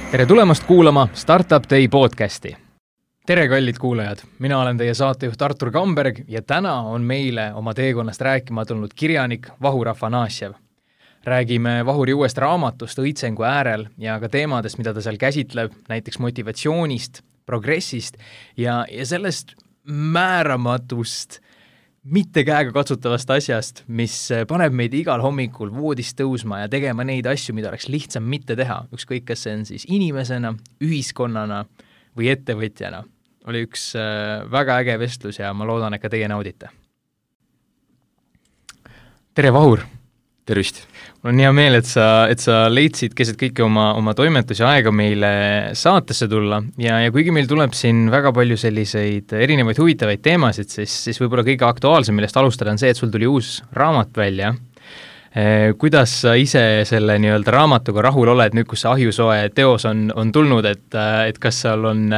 Tere tulemast kuulama Startup Day podcasti. Tere kallid kuulajad, mina olen teie saatejuht Artur Kamberg ja täna on meile oma teekonnast rääkima tulnud kirjanik Vahur Afanasjev. Räägime Vahuri uuest raamatust Õitsengu äärel ja ka teemadest, mida ta seal käsitleb, näiteks motivatsioonist, progressist ja sellest määramatust, mitte käega katsutavast asjast, mis paneb meid igal hommikul voodist tõusma ja tegema neid asju, mida oleks lihtsam mitte teha, ükskõik kas see on siis inimesena, ühiskonnana või ettevõtjana. Oli üks väga äge vestlus ja ma loodan, et ka teie naudite. Tere Vahur! Tervist! Mul on hea meel, et sa leidsid keset kõike oma toimetusi aega meile saatesse tulla ja kuigi meil tuleb siin väga palju selliseid erinevaid huvitavaid teemasid, siis võib-olla kõige aktuaalsem, millest alustada on see, et sul tuli uus raamat välja. Kuidas sa ise selle nii-öelda raamatuga rahul oled nüüd, kus see ahjusoe teos on tulnud, et kas seal on,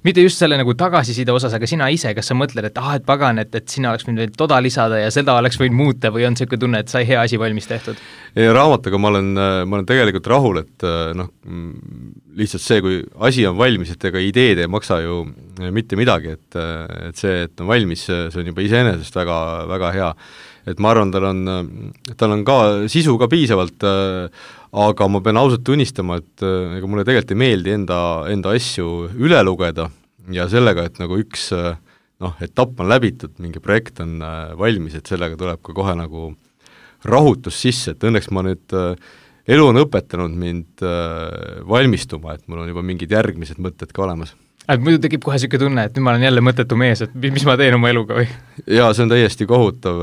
mitte just selle nagu tagasiside osas, aga sina ise, kas sa mõtled, et pagan, et sina oleks võinud toda lisada ja seda oleks võinud muuta või on selline tunne, et sai hea asi valmis tehtud? Raamatuga ma olen tegelikult rahul, et lihtsalt see, kui asi on valmis, et ega ideed ei maksa ju mitte midagi, et see, et on valmis, see on juba iseenesest väga, väga hea. Et ma arvan, tal on ka sisu ka piisavalt, aga ma pean ausalt tunnistama, et ega mulle tegelikult ei meeldi enda asju üle lugeda ja sellega, et nagu üks etapp on läbitud, mingi projekt on valmis, et sellega tuleb ka kohe nagu rahutus sisse, et õnneks ma nüüd elu on õpetanud mind valmistuma, et mul on juba mingid järgmised mõtted ka olemas. Muidu tekib kohe selline tunne, et nüüd ma olen jälle mõttetu mees, et mis ma teen oma eluga või? Jaa, see on täiesti kohutav,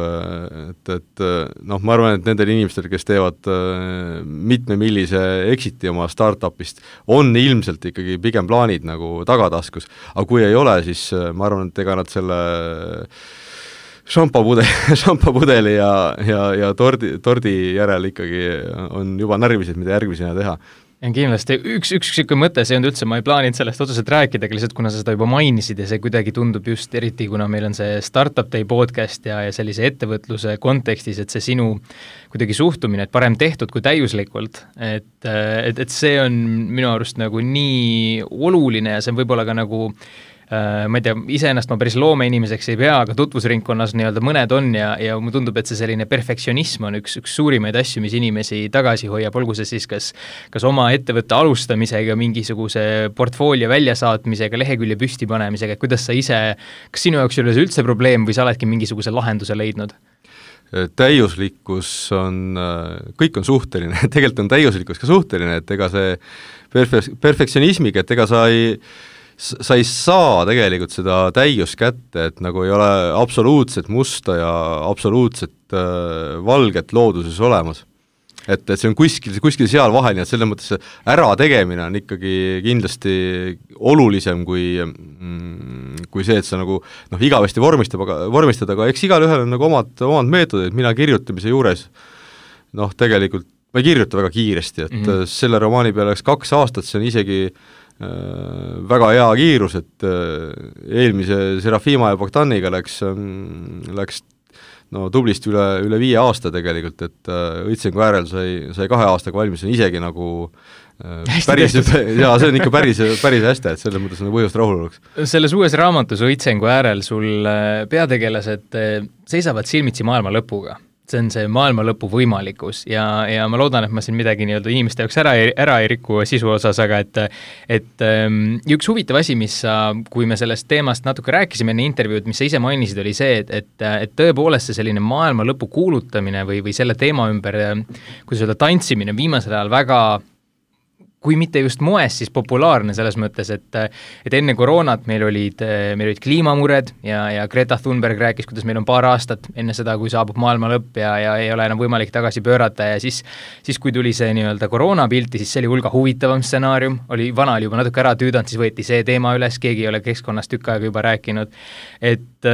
et ma arvan, et nendel inimestel, kes teevad mitmemillise exiti oma startupist, on ilmselt ikkagi pigem plaanid nagu tagataskus, aga kui ei ole, siis ma arvan, et ega nad selle šampapudeli ja tordi järel ikkagi on juba närvised, mida järgmisena teha. Ja kindlasti üks selline mõte, see on üldse, ma ei plaaninud sellest otseselt rääkida, lihtsalt kuna sa seda juba mainisid ja see kuidagi tundub just eriti, kuna meil on see Startup Day podcast ja sellise ettevõtluse kontekstis, et see sinu kuidagi suhtumine, et parem tehtud kui täiuslikult, et see on minu arust nagu nii oluline ja see on võib-olla ka nagu ma ei tea, iseennast ma päris loomeinimeseks ei pea, aga tutvusringkonnas nii-öelda mõned on ja mulle tundub, et see selline perfektsionism on üks suurimaid asju, mis inimesi tagasi hoiab, olgu see siis kas oma ettevõtte alustamisega, mingisuguse portfoolio väljasaatmisega, lehekülje püsti panemisega, et kuidas sa ise, kas sinu jaoks ei ole see üldse probleem või sa oledki mingisuguse lahenduse leidnud? Täiuslikkus on, kõik on suhteline, tegelikult on täiuslikkus ka suhteline, et ega see perfektsionismiga, et ega sa ei saa tegelikult seda täiust kätte, et nagu ei ole absoluutset musta ja absoluutset valget looduses olemas. Et see on kuskil seal vahel, nii et selles mõttes ärategemine on ikkagi kindlasti olulisem kui see, et sa nagu igavesti vormistada, aga eks igalühel on nagu omad meetodid, mina kirjutamise juures tegelikult ma ei kirjuta väga kiiresti, et selle romaani peale läks 2 aastat, see on isegi väga hea kiirus, et eelmise Serafima ja Bogdaniga läks tublisti üle 5 aasta tegelikult, et Õitsengu äärel sai 2 aastaga valmis, see on isegi nagu päris, jaa, see on ikka päris hästi, et selles mõttes on põhjust rahul oleks. Selles uues raamatus Õitsengu äärel sul peategelased seisavad silmitsi maailma lõpuga. See on see maailma lõpu võimalikkus ja ma loodan, et ma siin midagi nii-öelda inimeste jaoks ära ei riku sisu osas, aga et üks huvitav asi, mis kui me sellest teemast natuke rääkisime enne intervjuud, mis sa ise mainisid, oli see, et tõepoolest see selline maailma lõpu kuulutamine või selle teema ümber, kuidas öelda, tantsimine viimasel ajal väga kui mitte just moes, siis populaarne selles mõttes, et enne koroonat meil olid kliimamured ja Greta Thunberg rääkis, kuidas meil on 2 aastat enne seda, kui saabub maailma lõpp ja ei ole enam võimalik tagasi pöörata ja siis kui tuli see nii-öelda koroonapilti, siis see oli hulga huvitavam stsenaarium, vana oli juba natuke ära tüüdanud, siis võeti see teema üles, keegi ei ole keskkonnast tükk aega juba rääkinud, et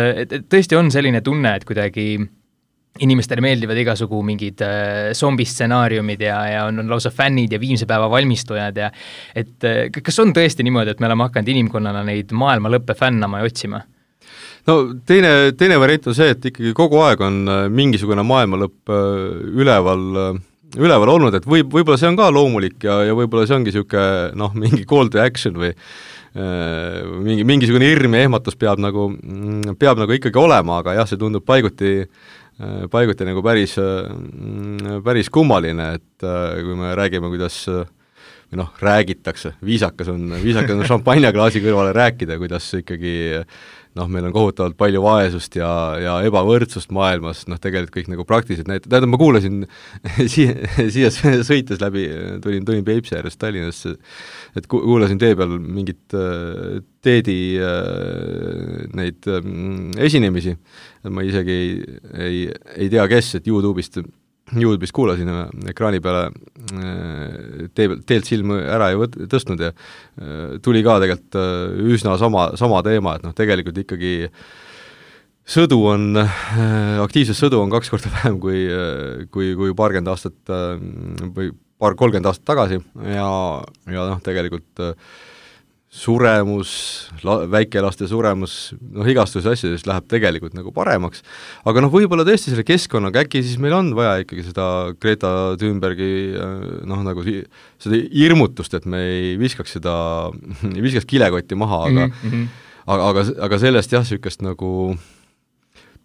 tõesti on selline tunne, et kuidagi inimestele meeldivad igasugu mingid zombistsenaariumid ja on lausa fännid ja viimse päeva valmistujad ja et kas on tõesti niimoodi, et me oleme hakanud inimkonnana neid maailma lõppe fännama ja otsima? No teine variant on see, et ikkagi kogu aeg on mingisugune maailma lõpp üleval üleval olnud, et võib-olla see on ka loomulik ja võib-olla see ongi niisugune noh, mingi call to action või mingisugune hirm ja ehmatus peab nagu ikkagi olema, aga jah, see tundub paiguti nagu päris kummaline, et kui me räägime, kuidas või noh, räägitakse, viisakas on šampanjaklaasi kõrvale rääkida, kuidas ikkagi noh, meil on kohutavalt palju vaesust ja ebavõrdsust maailmas, noh tegelikult kõik nagu praktiliselt tähendab, ma kuulasin siia sõites läbi, tulin Peipsi äärest Tallinnasse, et kuulasin tee peal mingit Teedi neid esinemisi, ma isegi ei tea, kes, et YouTube'ist kuulasin ekraani peale, teelt silmu ära ei tõstnud ja tuli ka tegelikult üsna sama teema, et noh, tegelikult ikkagi aktiivset sõdu on 2 korda vähem kui paarkümmend aastat või 30 aastat tagasi ja noh, tegelikult suremus, väikelaste suremus, noh igastuse asjadest läheb tegelikult nagu paremaks, aga noh, võib-olla tõesti selle keskkonnaga äkki siis meil on vaja ikkagi seda Greta Thunbergi noh, nagu seda hirmutust, et me ei viskaks kilekotti maha, aga sellest jah, niisugust nagu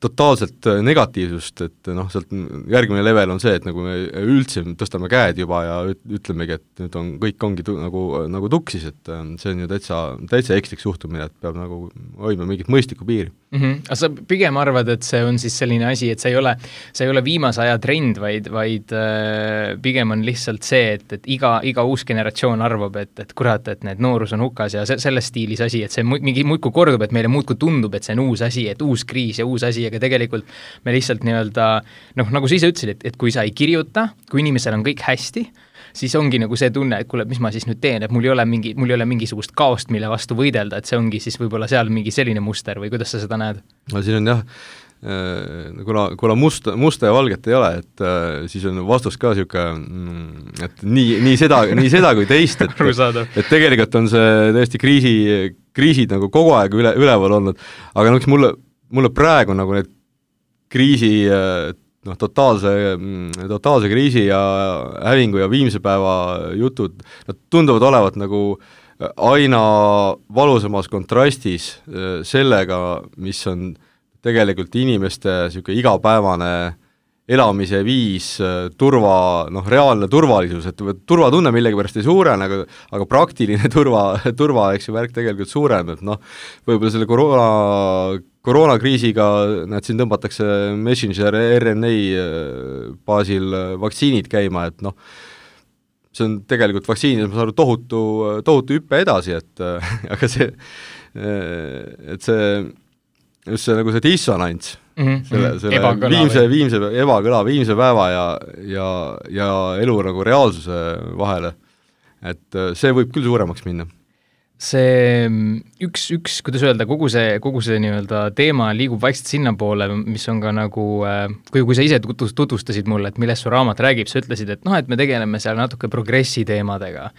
totaalselt negatiivsust, et noh, sealt järgmine level on see, et nagu me üldse tõstame käed juba ja ütlemegi, et nüüd kõik ongi nagu tuksis, et see on ju täitsa ekslik suhtumine, et peab nagu hoidma mingit mõistlikku piiri. Aga sa pigem arvad, et see on siis selline asi, et see ei ole viimase aja trend, vaid pigem on lihtsalt see, et iga uus generatsioon arvab, et kurat, et need noorus on hukas ja selles stiilis asi, et see mingi muudkui kordub, et meile muudkui tundub, et see on uus asi, et uus kriis ja uus asi, aga tegelikult me lihtsalt nii-öelda, noh, nagu sa ise ütlesid, et kui sa ei kirjuta, kui inimesel on kõik hästi, siis ongi nagu see tunne, et kuule, mis ma siis nüüd teen, et mul ei ole mingisugust kaost, mille vastu võidelda, et see ongi siis võib-olla seal mingi selline muster või kuidas sa seda näed? No siin on jah, kuna musta ja valget ei ole, et siis on vastus ka niisugune, et nii seda kui teist, et tegelikult on see tõesti kriisid nagu kogu aeg üleval olnud, aga noh, mulle praegu nagu need kriisi noh, totaalse kriisi ja hävingu ja viimse päeva jutud, nad tunduvad olevat nagu aina valusamas kontrastis sellega, mis on tegelikult inimeste niisugune igapäevane elamise viis, reaalne turvalisus, et turvatunne millegipärast ei suurene, aga praktiline turva, eks ju, värk tegelikult suurem, et noh, võib-olla selle koroonakriisiga näed, siin tõmbatakse messenger RNA baasil vaktsiinid käima, et noh, see on tegelikult vaktsiinid, ma saan aru, tohutu hüppe edasi, et aga see just see nagu see dissonants, selle viimse päeva ja elu nagu reaalsuse vahele, et see võib küll suuremaks minna. See üks, kuidas öelda, kogu see nii-öelda teema liigub vaikselt sinna poole, mis on ka nagu, kui sa ise tutvustasid mulle, et millest su raamat räägib, sa ütlesid, et noh, et me tegeleme seal natuke progressi teemadega.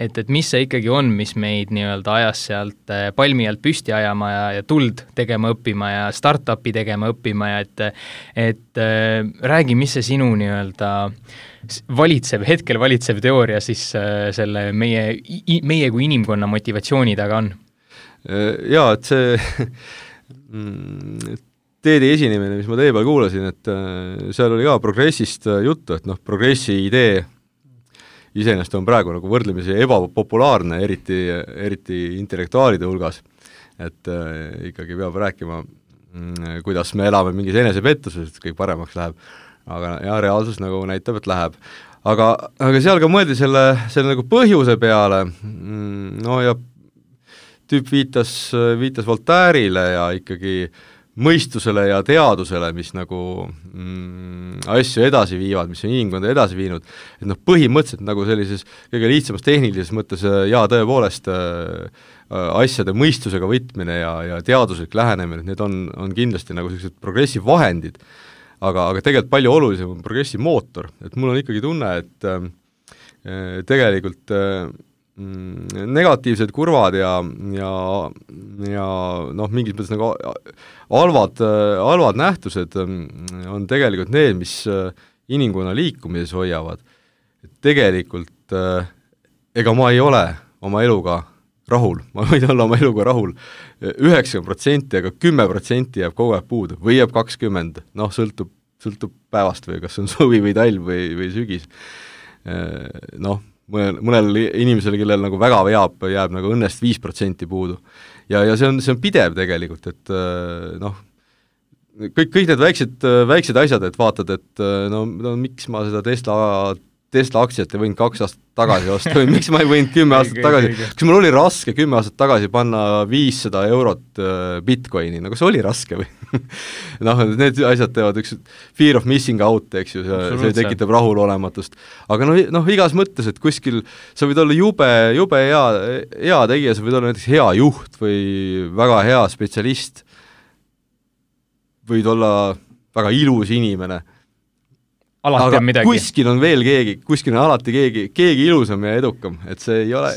Et mis see ikkagi on, mis meid nii-öelda ajas sealt palmi alt püsti ajama ja tuld tegema õppima ja startupi tegema õppima ja et räägi, mis see sinu nii-öelda hetkel valitsev teooria siis selle meie kui inimkonna motivatsiooni taga on? Jaa, et see Teedi esinemine, mis ma teie peal kuulasin, et seal oli ka progressist juttu, et noh, progressi idee iseenesest on praegu nagu võrdlemisi ebapopulaarne, eriti intellektuaalide hulgas, et ikkagi peab rääkima, kuidas me elame mingis enesepettuses, et kõik paremaks läheb. Aga ja reaalsus nagu näitab, et läheb. Aga seal ka mõeldi selle nagu põhjuse peale, no ja tüüp viitas Voltaire'ile ja ikkagi mõistusele ja teadusele, mis nagu asju edasi viivad, mis on inimkonda edasi viinud, et noh, põhimõtteliselt nagu sellises kõige lihtsamas tehnilises mõttes ja tõepoolest asjade mõistusega võtmine ja teaduslik lähenemine, need on kindlasti nagu sellised progressiivvahendid, aga tegelikult palju olulisem on progressi mootor, et mul on ikkagi tunne, et tegelikult negatiivsed kurvad ja noh, mingis mõttes nagu halvad nähtused on tegelikult need, mis inimkonna liikumises hoiavad, et tegelikult ega ma ei ole oma eluga rahul, ma võin olla oma eluga rahul 90%, aga 10% jääb kogu aeg puudu või jääb 20%, noh, sõltub päevast või kas on suvi või talv või sügis. Noh, mõnel inimesel, kellel nagu väga jääb nagu õnnest 5% puudu. Ja see on pidev tegelikult, et noh, kõik need väiksed asjad, et vaatad, et no miks ma seda Tesla aktsiat ei võinud 2 aastat tagasi osta või miks ma ei võinud 10 aastat tagasi, kas mul oli raske 10 aastat tagasi panna 500 eurot Bitcoini, no kas oli raske või? noh, need asjad teevad üks fear of missing out, eks ju, see tekitab rahulolematust. Aga noh, igas mõttes, et kuskil sa võid olla jube hea tegija, sa võid olla näiteks hea juht või väga hea spetsialist, võid olla väga ilus inimene, alati on midagi. Kuskil on veel keegi, kuskil on alati keegi ilusam ja edukam, et see ei ole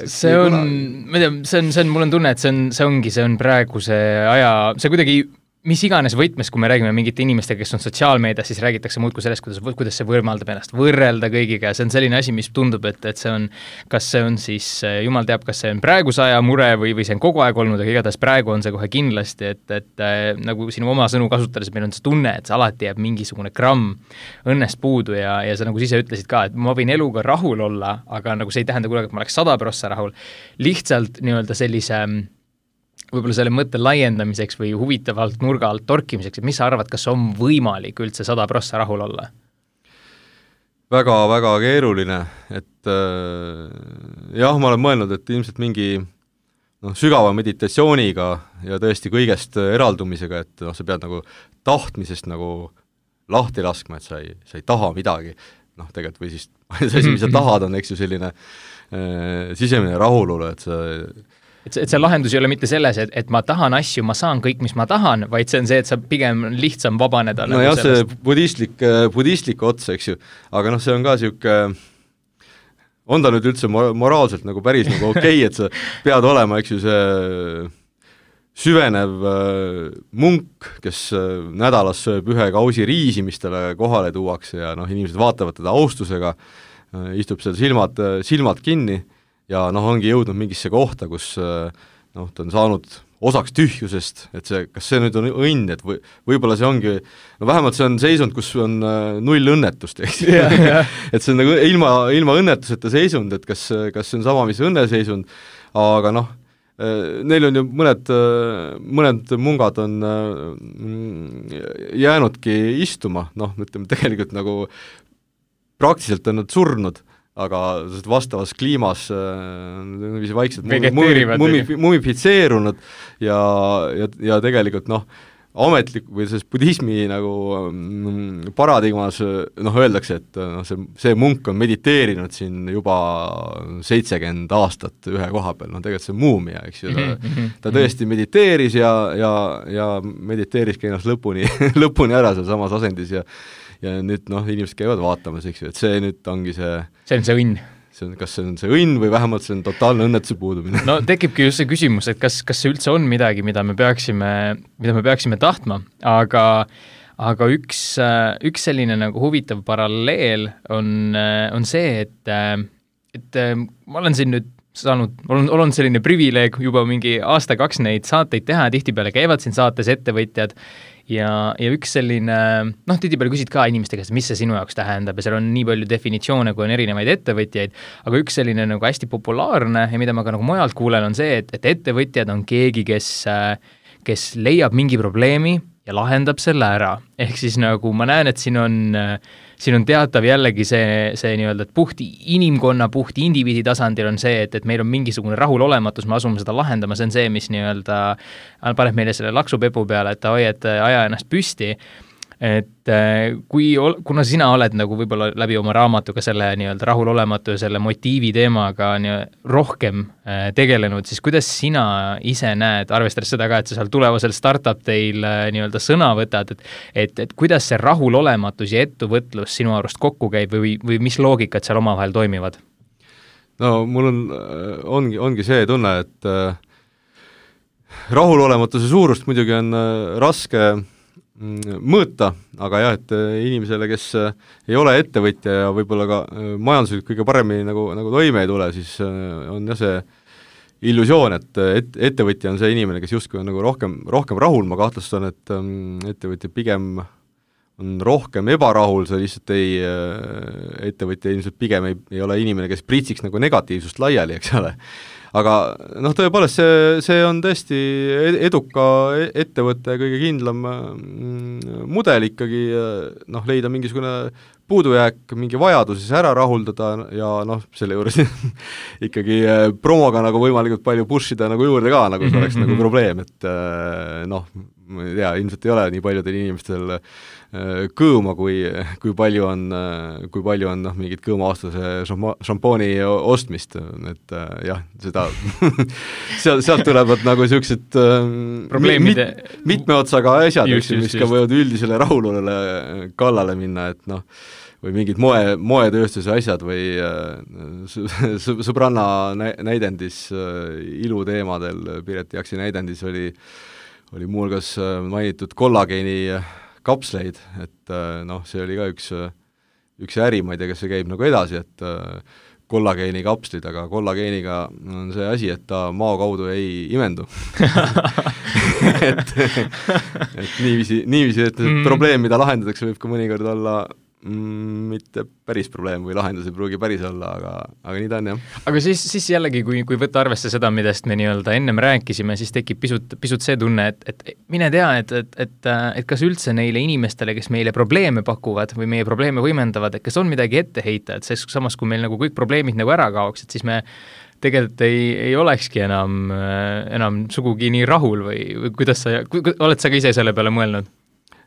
ma ei tea, mul on tunne, et see on praeguse aja, see kuidagi mis iganes võtmes, kui me räägime mingite inimestega, kes on sotsiaalmeedias, siis räägitakse muudkui sellest, kuidas see võimaldab ennast võrrelda kõigiga ja see on selline asi, mis tundub, et see on, kas see on siis, jumal teab, kas see on praeguse aja mure või see on kogu aeg olnud, aga igatahes praegu on see kohe kindlasti, et nagu sinu oma sõnu kasutades, meil on see tunne, et see alati jääb mingisugune gramm õnnest puudu ja sa nagu ise ütlesid ka, et ma võin eluga rahul olla, aga nagu see ei tähenda kunagi, et ma oleks 100% rahul. Lihtsalt nii-öelda sellise võib-olla selle mõtte laiendamiseks või huvitavalt nurga alt torkimiseks, et mis sa arvad, kas on võimalik üldse 100% rahul olla? Väga keeruline, et jah, ma olen mõelnud, et ilmselt mingi sügava meditatsiooniga ja tõesti kõigest eraldumisega, et sa pead nagu tahtmisest nagu lahti laskma, et sa ei taha midagi, tegelikult või siis see asi, mis sa tahad, on eks ju selline sisemine rahulolu, et see lahendus ei ole mitte selles, et ma tahan asju, ma saan kõik, mis ma tahan, vaid see on see, et sa pigem lihtsam vabaneda. No nagu jah, see budistlik ots, eks ju, aga see on ka siuke, on ta nüüd üldse moraalselt nagu päris nagu okei, et sa pead olema, eks ju, see süvenev munk, kes nädalas sööb 1 kausi riisi, mis talle kohale tuuakse ja inimesed vaatavad teda austusega, istub seal silmad kinni, ja ongi jõudnud mingisse kohta, kus ta on saanud osaks tühjusest, et kas see nüüd on õnn, et võib-olla see ongi, vähemalt see on seisund, kus on 0 õnnetust, eks et see on nagu ilma õnnetuseta seisund, et kas see on sama, mis õnneseisund, aga neil on ju mõned mungad on jäänudki istuma, ütleme tegelikult nagu praktiliselt on nad surnud, aga vastavas kliimas vaikselt mumifitseerunud ja tegelikult ametlik või selles budismi nagu paradigmas öeldakse, et see munk on mediteerinud siin juba 70 aastat ühe koha peal, tegelikult see muumia, eks ju, ta tõesti mediteeris ja mediteeriski ennast lõpuni ära seal samas asendis ja nüüd inimesed käivad vaatamas, eks ju, et see nüüd ongi see on see õnn. Kas see on see õnn või vähemalt see on totaalne õnnetuse puudumine? No tekibki just see küsimus, et kas see üldse on midagi, mida me peaksime tahtma, aga üks selline nagu huvitav paralleel on see, et ma olen siin nüüd olen selline privileeg juba mingi aasta-2 neid saateid teha, tihtipeale käivad siin saates ettevõtjad ja üks selline, tihtipeale küsid ka inimeste käest, mis see sinu jaoks tähendab ja seal on nii palju definitsioone, kui on erinevaid ettevõtjaid, aga üks selline nagu hästi populaarne ja mida ma ka nagu mujalt kuulen, on see, et ettevõtjad on keegi, kes leiab mingi probleemi ja lahendab selle ära. Ehk siis nagu ma näen, et siin on teatav jällegi see nii-öelda, et puht inimkonna, puht indiviidi tasandil on see, et meil on mingisugune rahulolematus, me asume seda lahendama, see on see, mis nii-öelda paneb meile selle laksupepu peale, et aja ennast püsti. Et kuna sina oled nagu võib-olla läbi oma raamatuga selle nii-öelda rahulolematu ja selle motiivi teemaga rohkem tegelenud, siis kuidas sina ise näed, arvestades seda ka, et sa seal tulevasel startup teil nii-öelda sõna võtad, et kuidas see rahulolematus ja ettevõtlus sinu arust kokku käib või mis loogikad seal omavahel toimivad? No mul ongi see tunne, et rahulolematuse suurust muidugi on raske mõõta, aga jah, et inimesele, kes ei ole ettevõtja ja võib-olla ka majanduslikult kõige paremini nagu toime ei tule, siis on jah see illusioon, et ettevõtja on see inimene, kes justkui on nagu rohkem rahul, ma kahtlustan, et ettevõtja pigem on rohkem ebarahul, see lihtsalt ettevõtja ilmselt pigem ei ole inimene, kes pritsiks nagu negatiivsust laiali, eks ole. Aga noh, tõepoolest see on tõesti eduka ettevõtte kõige kindlam mudel ikkagi noh, leida mingisugune puudujääk, mingi vajadus siis ära rahuldada ja noh, selle juures ikkagi promoga nagu võimalikult palju pushida nagu juurde ka, nagu see oleks nagu probleem, et noh, ma ei tea, ilmselt ei ole nii paljudel inimestel kõõma, kui palju on noh, mingit kõõmavastase šampooni ostmist, et jah, seda sealt tulevad nagu niisugused mitme otsaga asjad, mis ka võivad üldisele rahulolule kallale minna, et noh, või mingid moetööstuse asjad või sõbranna näidendis iluteemadel, Piret Jaksi näidendis oli muuhulgas mainitud kollageeni kapsleid, et noh, see oli ka üks äri, ma ei tea, kas see käib nagu edasi, et kollageeni kapslid, aga kollageeniga on see asi, et ta mao kaudu ei imendu. et niiviisi, et probleem, mida lahendatakse, võib ka mõnikord olla mitte päris probleem või lahendus ei pruugi päris olla, aga nii ta on, jah. Aga siis jällegi, kui võtta arvesse seda, millest me nii-öelda ennem rääkisime, siis tekib pisut see tunne, et mine tea, et kas üldse neile inimestele, kes meile probleeme pakuvad või meie probleeme võimendavad, et kas on midagi ette heita, et samas, kui meil nagu kõik probleemid nagu ära kaoks, et siis me tegelikult ei olekski enam sugugi nii rahul või kuidas oled sa ka ise selle peale mõelnud?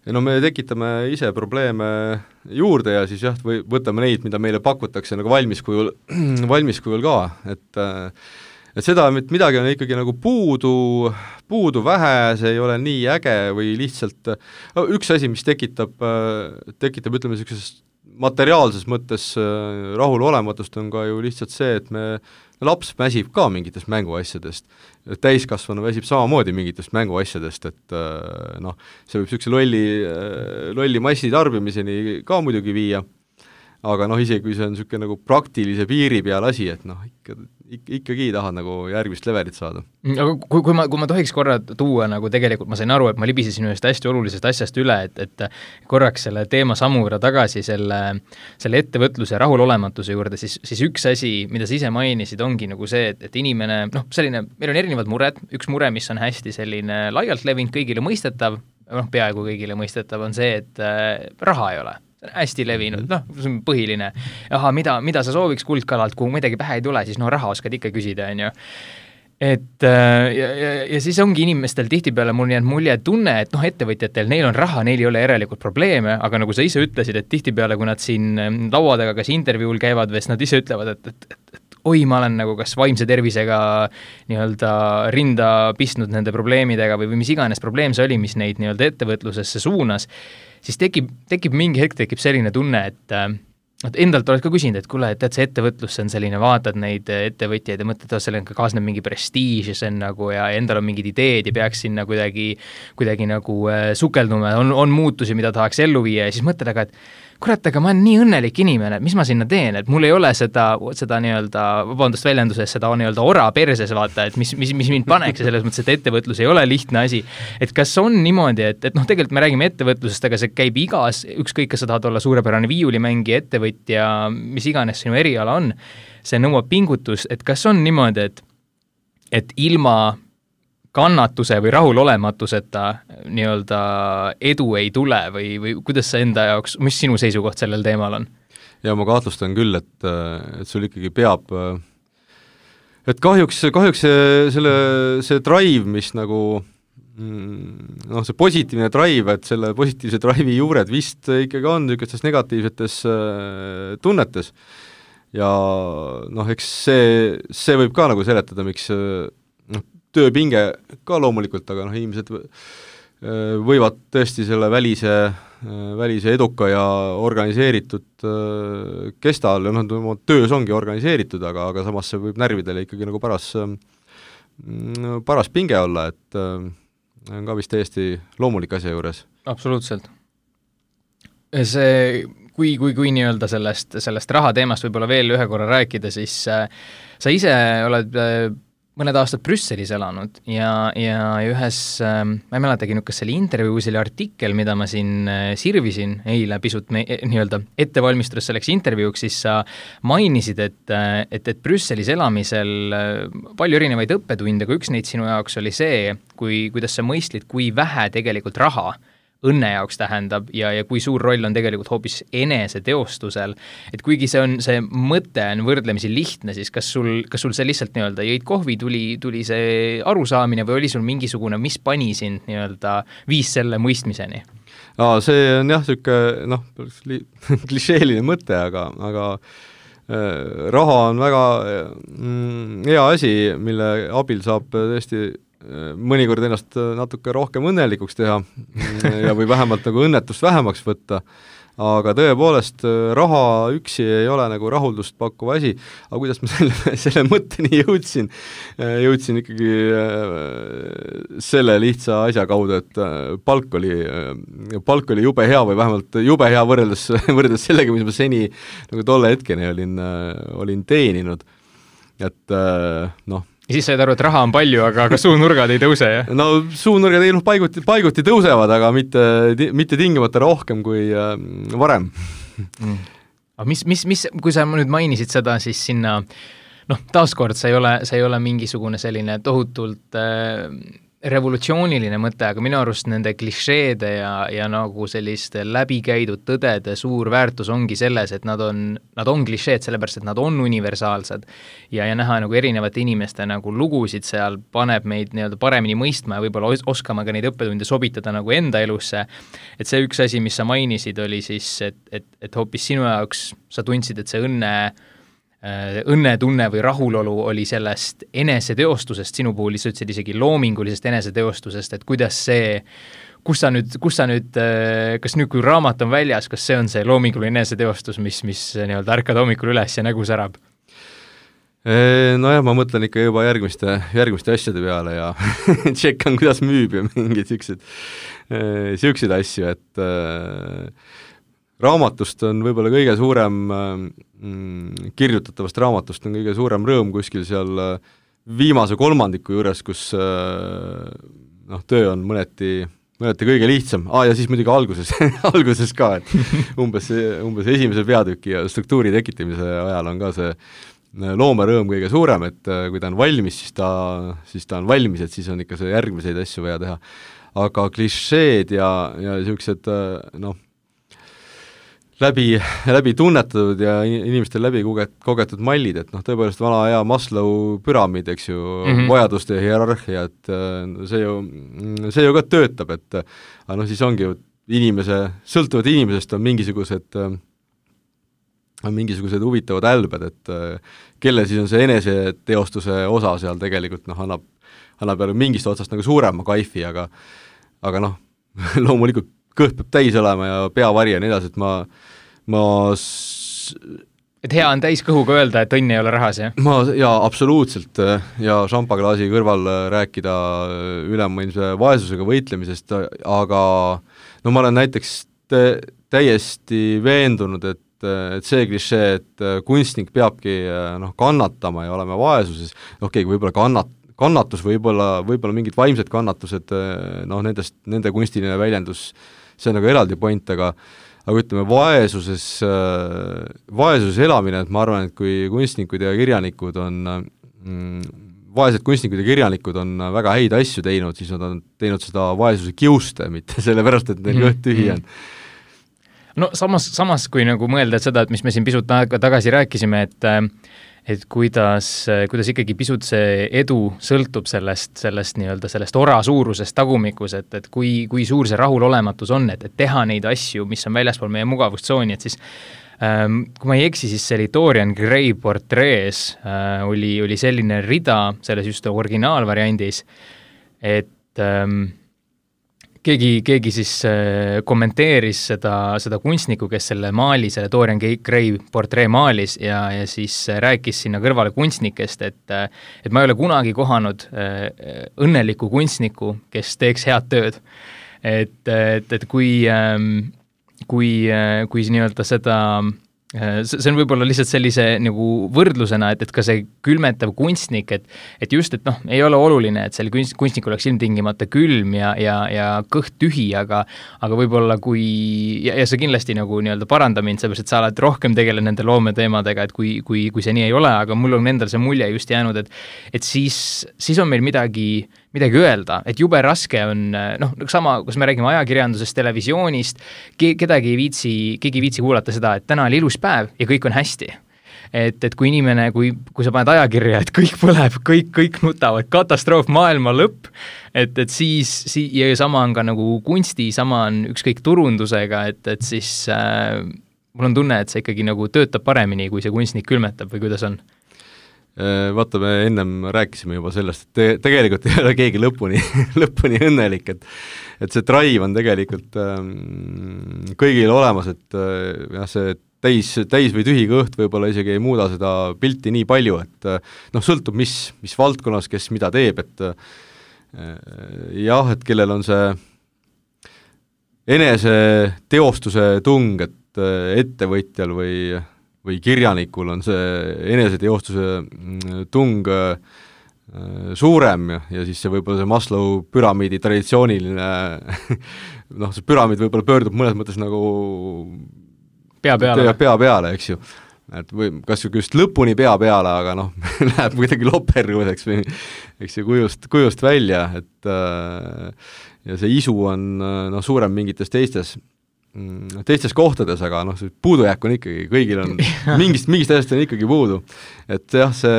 No me tekitame ise probleeme juurde ja siis jah, või võtame neid, mida meile pakutakse nagu valmis kujul ka, et seda, et midagi on ikkagi nagu puudu vähe, see ei ole nii äge või lihtsalt üks asi, mis tekitab ütleme niisuguses materiaalses mõttes rahulolematust on ka ju lihtsalt see, et laps väsib ka mingitest mänguasjadest, täiskasvanu väsib samamoodi mingitest mänguasjadest, et noh, see võib niisuguse lolli massitarbimiseni ka muidugi viia, aga noh, isegi kui see on niisugune nagu praktilise piiri peal asi, et noh, ikkagi tahad nagu järgmist levelit saada. Aga kui ma tohiks korra tuua, nagu tegelikult ma sain aru, et ma libisesin ühest hästi olulisest asjast üle, et korraks selle teema sammuvõrra tagasi selle ettevõtluse ja rahulolematuse juurde, siis üks asi, mida sa ise mainisid, ongi nagu see, et inimene, noh, selline, meil on erinevad mured, üks mure, mis on hästi selline laialt levinud, kõigile mõistetav, noh, peaaegu kõigile mõistetav on see, et raha ei ole. See on hästi levinud, noh, see on põhiline. Aha, mida sa sooviks kuldkalalt, kui midagi pähe ei tule, siis no raha oskad ikka küsida, on ju. Et ja siis ongi inimestel tihtipeale mul jäänud mulje tunne, et noh, ettevõtjatel, neil on raha, neil ei ole järelikult probleeme, aga nagu sa ise ütlesid, et tihtipeale, kui nad siin lauadega kas intervjuul käivad, või nad ise ütlevad, et oi, ma olen nagu kas vaimse tervisega nii-öelda rinda pistnud nende probleemidega või mis iganes probleem see oli, mis neid nii-öelda ettevõtlusesse suunas, siis tekib mingi hetk selline tunne, et endalt oled ka küsinud, et kuule, et see ettevõtlus, see on selline, vaatad neid ettevõtjaid ja mõtled, et sellega kaasneb mingi prestiiž ja see on nagu, ja endal on mingid ideed ja peaks sinna kuidagi nagu sukelduma, on muutusi, mida tahaks ellu viia ja siis mõtled, aga et kurat, aga ma olen nii õnnelik inimene, et mis ma sinna teen, et mul ei ole seda nii-öelda, vabandust väljenduses, seda nii-öelda ora perses, vaata, et mis mind paneks ja selles mõttes, et ettevõtlus ei ole lihtne asi. Et kas on niimoodi, et noh, tegelikult me räägime ettevõtlusest, aga see käib igas, ükskõik, kas sa tahad olla suurepärane viiulimängi ettevõtja, mis iganes sinu eriala on, see nõuab pingutus, et kas on niimoodi, et ilma kannatuse või rahulolematuseta nii-öelda edu ei tule või kuidas sa enda jaoks, mis sinu seisukoht sellel teemal on? Ja ma kahtlustan küll, et sul ikkagi peab, et kahjuks see drive, mis nagu noh, see positiivne drive, et selle positiivse drive'i juured vist ikkagi on niisugustes negatiivsetes tunnetes ja noh, eks see võib ka nagu seletada, miks tööpinge ka loomulikult, aga noh, inimesed võivad tõesti selle välise eduka ja organiseeritud kestal ja noh, töös ongi organiseeritud, aga samas see võib närvidele ikkagi nagu paras pinge olla, et on ka vist täiesti loomulik asja juures. absoluutselt. See, kui nii-öelda sellest raha teemast võib-olla veel ühe korra rääkida, siis sa ise oled mõned aastad Brüsselis elanud ja ühes, ma ei mäletagi, kas see oli intervjuu, see oli artikkel, mida ma siin sirvisin eile pisut nii-öelda ettevalmistudes selleks intervjuuks, siis sa mainisid, et Brüsselis elamisel palju erinevaid õppetunde, kui üks neid sinu jaoks oli see, kuidas sa mõistlid, kui vähe tegelikult raha õnne jaoks tähendab ja kui suur roll on tegelikult hoopis eneseteostusel, et kuigi see mõte on võrdlemisi lihtne, siis kas sul see lihtsalt nii-öelda jõid kohvi, tuli see arusaamine või oli sul mingisugune, mis pani sind nii-öelda viis selle mõistmiseni? See on jah, niisugune klišeeline mõte, aga raha on väga hea asi, mille abil saab tõesti mõnikord ennast natuke rohkem õnnelikuks teha ja või vähemalt nagu õnnetust vähemaks võtta, aga tõepoolest raha üksi ei ole nagu rahuldust pakkuva asi, aga kuidas ma selle mõtteni jõudsin ikkagi selle lihtsa asja kaudu, et palk oli jube hea või vähemalt jube hea võrreldes sellega, mis ma seni nagu tolle hetkeni olin teeninud, et ja siis said aru, et raha on palju, aga suunurgad ei tõuse, jah? No suunurgad ei paiguti tõusevad, aga mitte tingimata rohkem kui varem. Aga mis, kui sa nüüd mainisid seda, siis sinna, taaskord see ei ole mingisugune selline tohutult revolutsiooniline mõte, aga minu arust nende klišeede ja nagu selliste läbikäidud tõdede suur väärtus ongi selles, et nad on klišeed sellepärast, et nad on universaalsed ja näha nagu erinevate inimeste nagu lugusid seal paneb meid nii-öelda paremini mõistma ja võib-olla oskama ka neid õppetunde sobitada nagu enda elusse. Et see üks asi, mis sa mainisid, oli siis, et hoopis sinu jaoks sa tundsid, et see õnnetunne või rahulolu oli sellest eneseteostusest, sinu puhul sa ütlesid isegi loomingulisest eneseteostusest, et kuidas see, kus sa nüüd, kas nüüd, kui raamat on väljas, kas see on see loominguline eneseteostus, mis nii-öelda ärkad hommikul üles ja nägu särab? Nojah, ma mõtlen ikka juba järgmiste asjade peale ja tšekkan, kuidas müüb ja mingid siukseid asju, et raamatust on võib-olla kõige suurem, kirjutatavast raamatust on kõige suurem rõõm kuskil seal viimase kolmandiku juures, kus töö on mõneti kõige lihtsam. Ja siis muidugi alguses ka, et umbes esimese peatüki ja struktuuri tekitamise ajal on ka see loomerõõm kõige suurem, et kui ta on valmis, siis ta on valmis, et siis on ikka see järgmiseid asju vaja teha. Aga klišeed ja niisugused läbi tunnetatud ja inimestel läbi kogetud mallid, et tõepoolest vana hea Maslow püramiid, eks ju, vajaduste hierarhia, et see ju ka töötab, et aga siis ongi ju sõltuvalt inimesest on mingisugused huvitavad älbed, et kelle siis on see eneseteostuse osa seal tegelikult annab jälle mingist otsast nagu suurema kaifi, aga loomulikult kõht peab täis olema ja peavari ja nii edasi, et et hea on täis kõhuga öelda, et õnn ei ole rahas, jah? Jaa, absoluutselt, ja šampaklaasi kõrval rääkida ülemaailmse vaesusega võitlemisest, aga ma olen näiteks täiesti veendunud, et see klišee, et kunstnik peabki kannatama ja olema vaesuses, võib-olla kannatus, võib-olla mingid vaimsed kannatused, nende kunstiline väljendus, see on nagu eraldi point, aga ütleme, vaesuses elamine, et ma arvan, et kui kunstnikud ja kirjanikud vaesed kunstnikud ja kirjanikud on väga häid asju teinud, siis nad on teinud seda vaesuse kiuste, mitte sellepärast, et neil kõht tühi on. No samas kui nagu mõelda seda, et mis me siin pisut tagasi rääkisime, et kuidas ikkagi pisut see edu sõltub sellest ora suurusest tagumikus, et kui suur see rahulolematus on, et teha neid asju, mis on väljaspool meie mugavustsooni, et siis kui ma ei eksi, siis see Dorian Gray portrees oli selline rida selles just originaalvariandis, et keegi siis kommenteeris seda kunstnikku, kes selle maali, selle Dorian Gray portree maalis ja siis rääkis sinna kõrvale kunstnikest, et ma ei ole kunagi kohanud õnnelikku kunstnikku, kes teeks head tööd. et kui nii-öelda seda see on võib-olla lihtsalt sellise nagu võrdlusena, et ka see külmetav kunstnik, et just, et noh, ei ole oluline, et seal kunstnik oleks ilmtingimata külm ja kõht tühi, aga võib-olla ja see kindlasti nagu nii-öelda paranda mind, seepärast, et sa oled rohkem tegelenud nende loometeemadega, et kui see nii ei ole, aga mul on endal see mulje just jäänud, et siis on meil midagi öelda, et jube raske on, noh, sama, kus me räägime ajakirjandusest, televisioonist, keegi ei viitsi kuulata seda, et täna oli ilus päev ja kõik on hästi. Et kui inimene, kui sa paned ajakirja, et kõik põleb, kõik nutavad, katastroof, maailma lõpp, et siis, ja sama on ka nagu kunsti, sama on ükskõik turundusega, et siis mul on tunne, et see ikkagi nagu töötab paremini, kui see kunstnik külmetab või kuidas on? Vaata, me ennem rääkisime juba sellest, et tegelikult ei ole keegi lõpuni õnnelik, et see drive on tegelikult kõigil olemas, et jah, see täis või tühi kõht võib-olla isegi ei muuda seda pilti nii palju, et noh, sõltub, mis valdkonnas, kes mida teeb, et jah, et kellel on see eneseteostuse tung, et ettevõtjal või kirjanikul on see eneseteostuse tung suurem ja siis see võib-olla see Maslow püramiidi traditsiooniline noh, see püramiid võib-olla pöördub mõnes mõttes nagu pea peale, eks ju. Et või kas just lõpuni pea peale, aga noh, läheb kuidagi lopergudeks või eks see kujust välja, et ja see isu on noh, suurem mingites teistes kohtades, aga noh, see puudujääk on ikkagi, kõigil on mingist asjast on ikkagi puudu. Et jah, see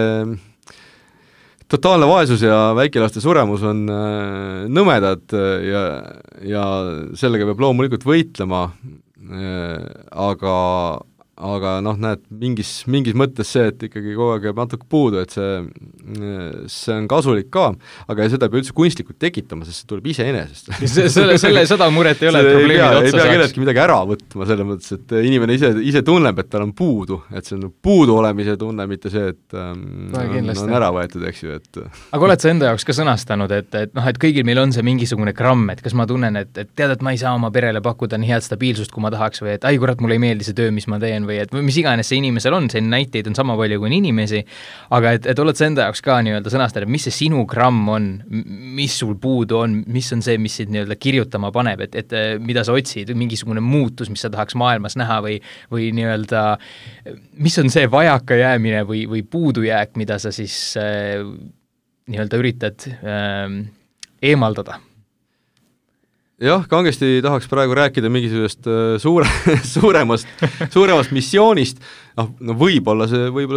totaalne vaesus ja väikelaste suremus on nõmedad ja sellega peab loomulikult võitlema, aga noh, näed, mingis mõttes see, et ikkagi kogu aeg jääb natuke puudu, et see on kasulik ka, aga seda ei pea üldse kunstlikult tekitama, sest see tuleb iseenesest. Seda muret ei ole, et probleemid otsa saaks. Ei pea kelleltki midagi ära võtma, selles mõttes, et inimene ise tunneb, et tal on puudu, et see on puudu olemise tunne, mitte see, et on ära võetud, eks ju. Aga oled sa enda jaoks ka sõnastanud, et noh, et kõigil meil on see mingisugune gramm, et kas ma tunnen, et tead, et ma ei saa oma perele pakkuda nii head stabiilsust, kui ma tahaks, või et ai kurat, mulle ei meeldi see töö, mis ma teen, või et mis iganes see inimesel on, see näiteid on sama palju kui inimesi, aga et oled sa enda jaoks ka nii-öelda sõnastada, mis see sinu gramm on, mis sul puudu on, mis on see, mis sind nii-öelda kirjutama paneb, et mida sa otsid, mingisugune muutus, mis sa tahaks maailmas näha või nii-öelda, mis on see vajakajäämine või puudujääk, mida sa siis nii-öelda üritad eemaldada? Jah, kangesti tahaks praegu rääkida mingisugust suuremast missioonist, no võib-olla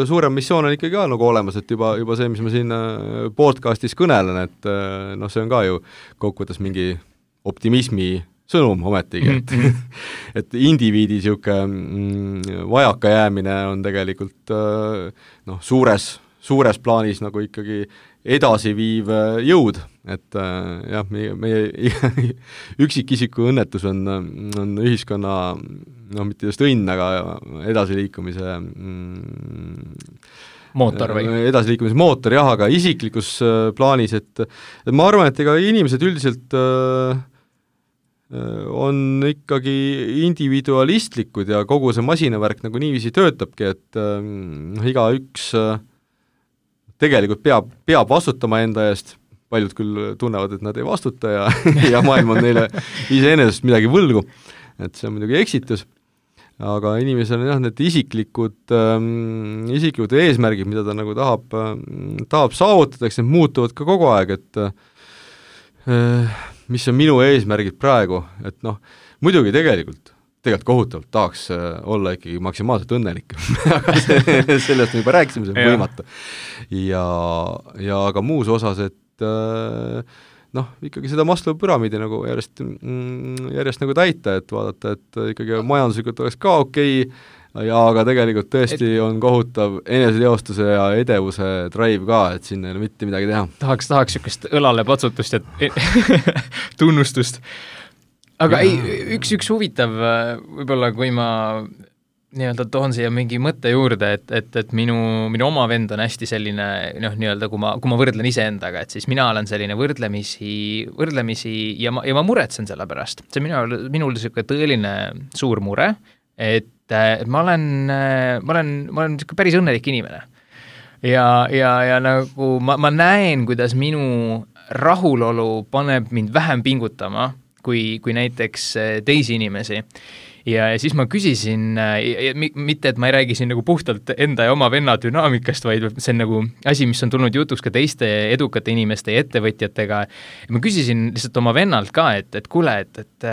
suurem missioon on ikkagi ka nagu olemas, et juba see, mis ma siin podcastis kõnelen, et noh, see on ka ju kokkuvõttes mingi optimismi sõnum ometigi, et indiviidi niisugune vajakajäämine on tegelikult noh, suures plaanis nagu ikkagi edasiviiv jõud, et jah, meie üksikisiku õnnetus on ühiskonna, no mitte just õnn, aga edasiliikumise mootor või? Edasiliikumise mootor, jah, aga isiklikus plaanis, et ma arvan, et ega inimesed üldiselt on ikkagi individualistlikud ja kogu see masinavärk nagu niiviisi töötabki, et igaüks tegelikult peab vastutama enda eest, paljud küll tunnevad, et nad ei vastuta ja maailm on neile iseenesest midagi võlgu, et see on muidugi eksitus, aga inimesel on jah, need isiklikud eesmärgid, mida ta nagu tahab saavutada, eks need muutuvad ka kogu aeg, et mis on minu eesmärgid praegu, et noh, muidugi tegelikult kohutavalt tahaks olla ikkagi maksimaalselt õnnelik aga sellest me juba rääkisime, see on võimatu. Ja aga muus osas, et noh, ikkagi seda Maslow püramiidi nagu järjest nagu täita, et vaadata, et ikkagi majanduslikult oleks ka okei, aga tegelikult tõesti on kohutav eneseteostuse ja edevuse drive ka, et siin ei ole mitte midagi teha. Tahaks niisugust õlale patsutust ja tunnustust. Aga ei, üks huvitav, võib-olla kui ma nii-öelda toon siia mingi mõtte juurde, et minu oma vend on hästi selline, nii-öelda kui ma võrdlen iseendaga, et siis mina olen selline võrdlemisi ja ma muretsen selle pärast. See minul niisugune tõeline suur mure, et ma olen niisugune päris õnnelik inimene. Ja nagu ma näen, kuidas minu rahulolu paneb mind vähem pingutama kui näiteks teisi inimesi. Ja siis ma küsisin, mitte et ma ei räägi siin nagu puhtalt enda ja oma venna dünaamikast, vaid see on nagu asi, mis on tulnud jutuks ka teiste edukate inimeste ja ettevõtjatega. Ma küsisin lihtsalt oma vennalt ka, et kuule, et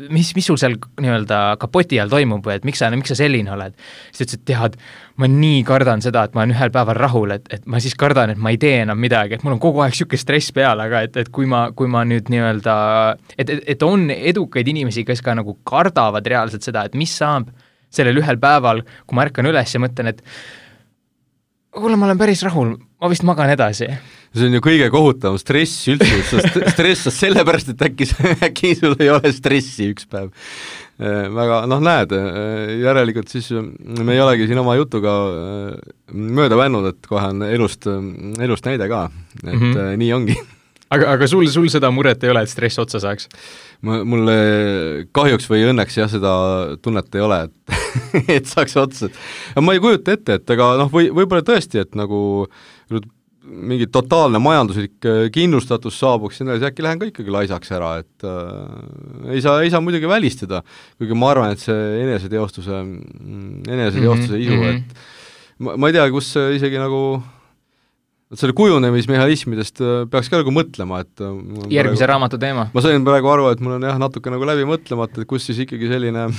mis sul seal nii-öelda kapoti all toimub või et miks sa selline oled? Siis ütles, et tead, ma nii kardan seda, et ma olen ühel päeval rahul, et ma siis kardan, et ma ei tee enam midagi, et mul on kogu aeg siuke stress peal, aga et kui ma nüüd nii-öelda, et on edukaid inimesi, kes ka nagu kardavad reaalselt seda, et mis saab sellel ühel päeval, kui ma ärkan üles ja mõtlen, et kuule, ma olen päris rahul, ma vist magan edasi. See on ju kõige kohutavam stress üldse, stressad sellepärast, et äkki sul ei ole stressi üks päev. Väga, näed, järelikult siis me ei olegi siin oma jutuga mööda vännud, et kohe on elust näide ka, et nii ongi. Aga sul seda muret ei ole, et stress otsa saaks? Mulle kahjuks või õnneks jah, seda tunnet ei ole, et saaks otsa. Ma ei kujuta ette, et aga võib-olla tõesti, et nagu mingi totaalne majanduslik kindlustatus saabuks, siis äkki lähen ka ikkagi laisaks ära, et ei saa muidugi välistada, kuigi ma arvan, et see eneseteostuse isu, et ma ei tea, kus isegi nagu selle kujunemismehhanismidest peaks ka nagu mõtlema, et järgmise raamatu teema. Ma sain praegu aru, et mul on jah natuke nagu läbi mõtlemata, et kus siis ikkagi selline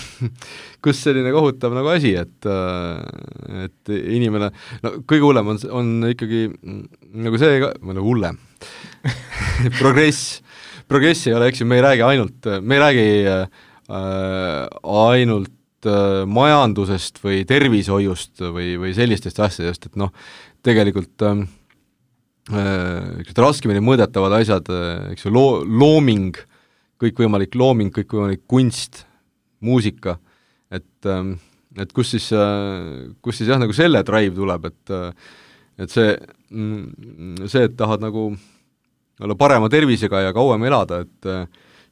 kohutav nagu asi, et inimene, kõige hullem on ikkagi nagu see, nagu hullem progress ei ole, eks ju, me ei räägi ainult majandusest või tervishoiust või sellistest asjadest, et tegelikult raskemini mõõdetavad asjad, eks ju, looming, kõikvõimalik kunst, muusika, et kus siis jah, nagu selle drive tuleb, et see, et tahad nagu olla parema tervisega ja kauem elada, et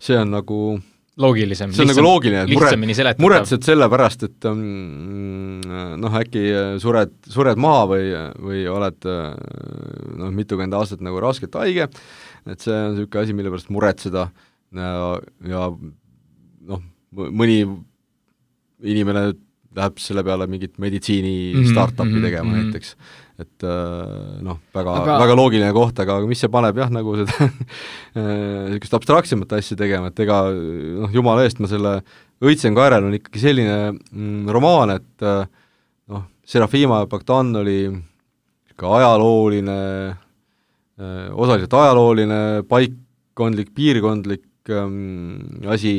see on nagu loogilisem, see on nagu loogiline, lihtsamini seletatav. Muretsed selle pärast, et äkki sured maha või oled mitukümmend aastat nagu rasket haige, et see on niisugune asi, mille pärast muretseda ja mõni inimene läheb selle peale mingit meditsiini startupi tegema näiteks, et väga loogiline koht, aga mis see paneb jah, nagu seda niisugust abstraktsemat asja tegema, et ega jumala eest ma selle Õitsen kaerel on ikkagi selline romaan, et Serafima Bogdan oli ka osaliselt ajalooline, paikkondlik, piirkondlik asi,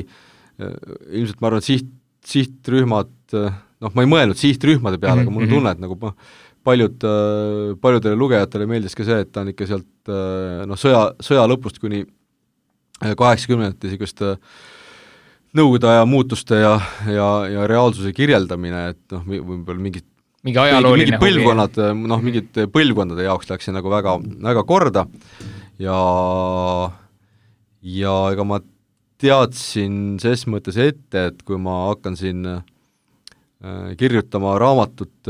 ilmselt ma arvan, et sihtrühmad, ma ei mõelnud sihtrühmade peale, aga mul on tunne, et nagu paljudele lugejatele meeldis ka see, et ta on ikka sealt sõja lõpust kuni 80 niisugust nõukogude aja muutuste ja reaalsuse kirjeldamine, et võib-olla mingid põlvkonnad, mingid põlvkondade jaoks läks see nagu väga, väga korda ja ega ma teadsin ses mõttes ette, et kui ma hakkan siin kirjutama raamatut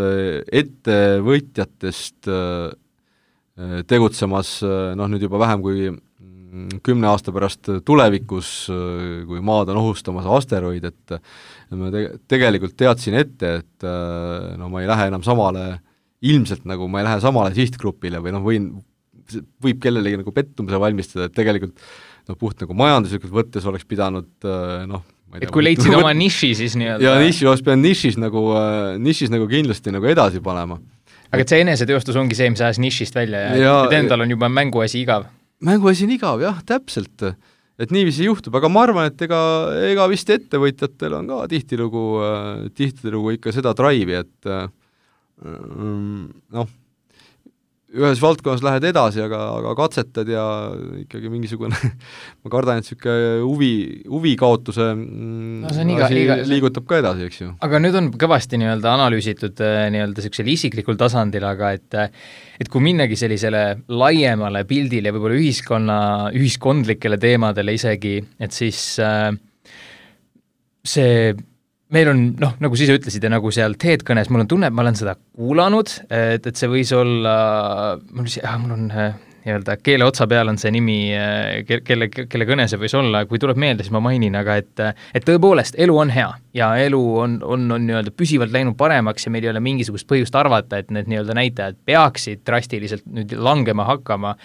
ettevõtjatest tegutsemas, nüüd juba vähem kui 10 aasta pärast tulevikus, kui maad on ohustamas asteroid, et ma tegelikult teadsin ette, et ma ei lähe enam ilmselt nagu ma ei lähe samale sihtgrupile või võib kellelegi nagu pettumise valmistada, et tegelikult puht nagu majanduslikult võttes oleks pidanud et kui leidsid oma niši, siis nii-öelda ja oleks pidanud nišis nagu kindlasti nagu edasi panema. Aga et see eneseteostus ongi see, mis ajas nišist välja ja endal on juba mänguasi igav. Mänguasi on igav, jah, täpselt. Et niiviisi juhtub, aga ma arvan, et ega vist ettevõtjatel on ka tihtilugu ikka seda drive'i, et ühes valdkonnas lähed edasi, aga katsetad ja ikkagi mingisugune ma kardan, et niisugune huvi kaotuse liigutab ka edasi, eks ju. Aga nüüd on kõvasti nii-öelda analüüsitud nii-öelda niisugusel isiklikul tasandil, aga et kui minnagi sellisele laiemale pildile, võib-olla ühiskondlikele teemadele isegi, et siis see meil on, nagu siis ütlesid ja nagu seal TED-kõnes, mul on tunne, et ma olen seda kuulanud, et see võis olla, mul on nii-öelda keele otsa peal on see nimi, kelle kõne see võis olla, kui tuleb meelde, siis ma mainin, aga et tõepoolest, elu on hea ja elu on nii-öelda püsivalt läinud paremaks ja meil ei ole mingisugust põhjust arvata, et need nii-öelda näitajad peaksid drastiliselt nüüd langema hakkama.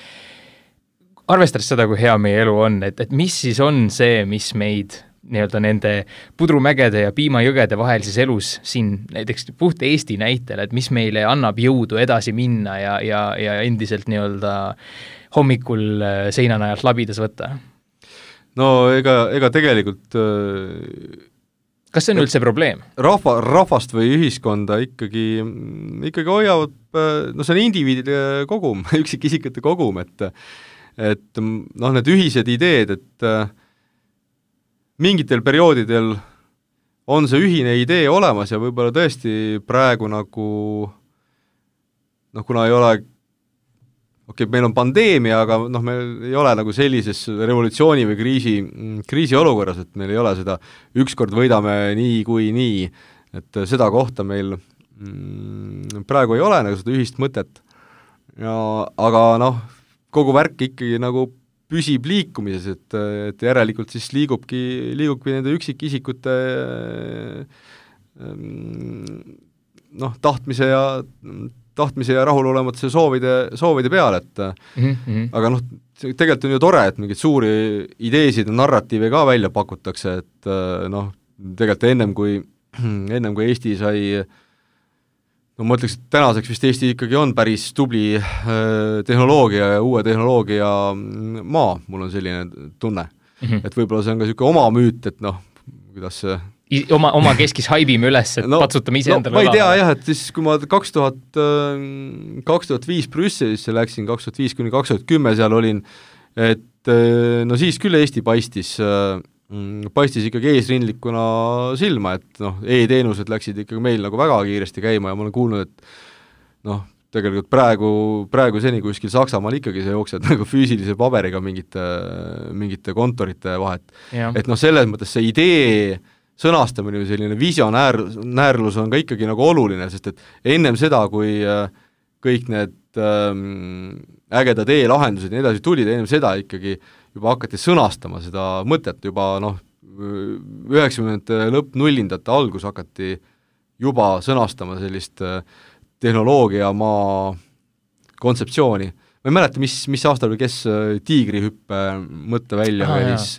Arvestades seda, kui hea meie elu on, et mis siis on see, mis meid nii-öelda nende pudrumägede ja piimajõgede vahelises elus siin näiteks puht Eesti näitel, et mis meile annab jõudu edasi minna ja endiselt nii-öelda hommikul seinanajalt labidas võtta? No ega tegelikult kas see on üldse probleem? Rahvast või ühiskonda ikkagi hoiavad, no see on indiviidide kogum, üksikisikute kogum, et need ühised ideed, et mingitel perioodidel on see ühine idee olemas ja võib-olla tõesti praegu nagu kuna ei ole meil on pandeemia, aga meil ei ole nagu sellises revolutsiooni või kriisi olukorras, et meil ei ole seda ükskord võidame nii kui nii, et seda kohta meil praegu ei ole nagu seda ühist mõtet. Aga kogu värk ikkagi nagu püsib liikumises, et järelikult siis liigubki nende üksikisikute tahtmise ja rahulolematuse soovide peale, et aga tegelikult on ju tore, et mingeid suuri ideesid ja narratiive ka välja pakutakse, et tegelikult ennem kui Eesti sai ma ütleks, et tänaseks vist Eesti ikkagi on päris tubli tehnoloogia ja uue tehnoloogia maa, mul on selline tunne. Et võib-olla see on ka niisugune oma müüt, et kuidas see oma keskis haibime üles, et patsutame ise endale ma ei tea jah, et siis kui ma 2005 Brüsselisse läksin, 2005–2010 seal olin, et siis küll Eesti paistis ikkagi eesrindlikuna silma, et e-teenused läksid ikkagi meil nagu väga kiiresti käima ja ma olen kuulnud, et tegelikult praegu seni kuskil Saksamaal ikkagi see jookseb nagu füüsilise paberiga mingite kontorite vahet. Et selles mõttes see idee sõnastamine või selline visionäärlus on ka ikkagi nagu oluline, sest et ennem seda, kui kõik need ägedad e-lahendused ja nii edasi tulid, ennem seda ikkagi juba hakati sõnastama seda mõtet, juba 90-ndate lõpp, nullindate algus hakati juba sõnastama sellist tehnoloogiamaa kontseptsiooni. Ma ei mäleta, mis aastal või kes tiigrihüppe mõtte välja välis.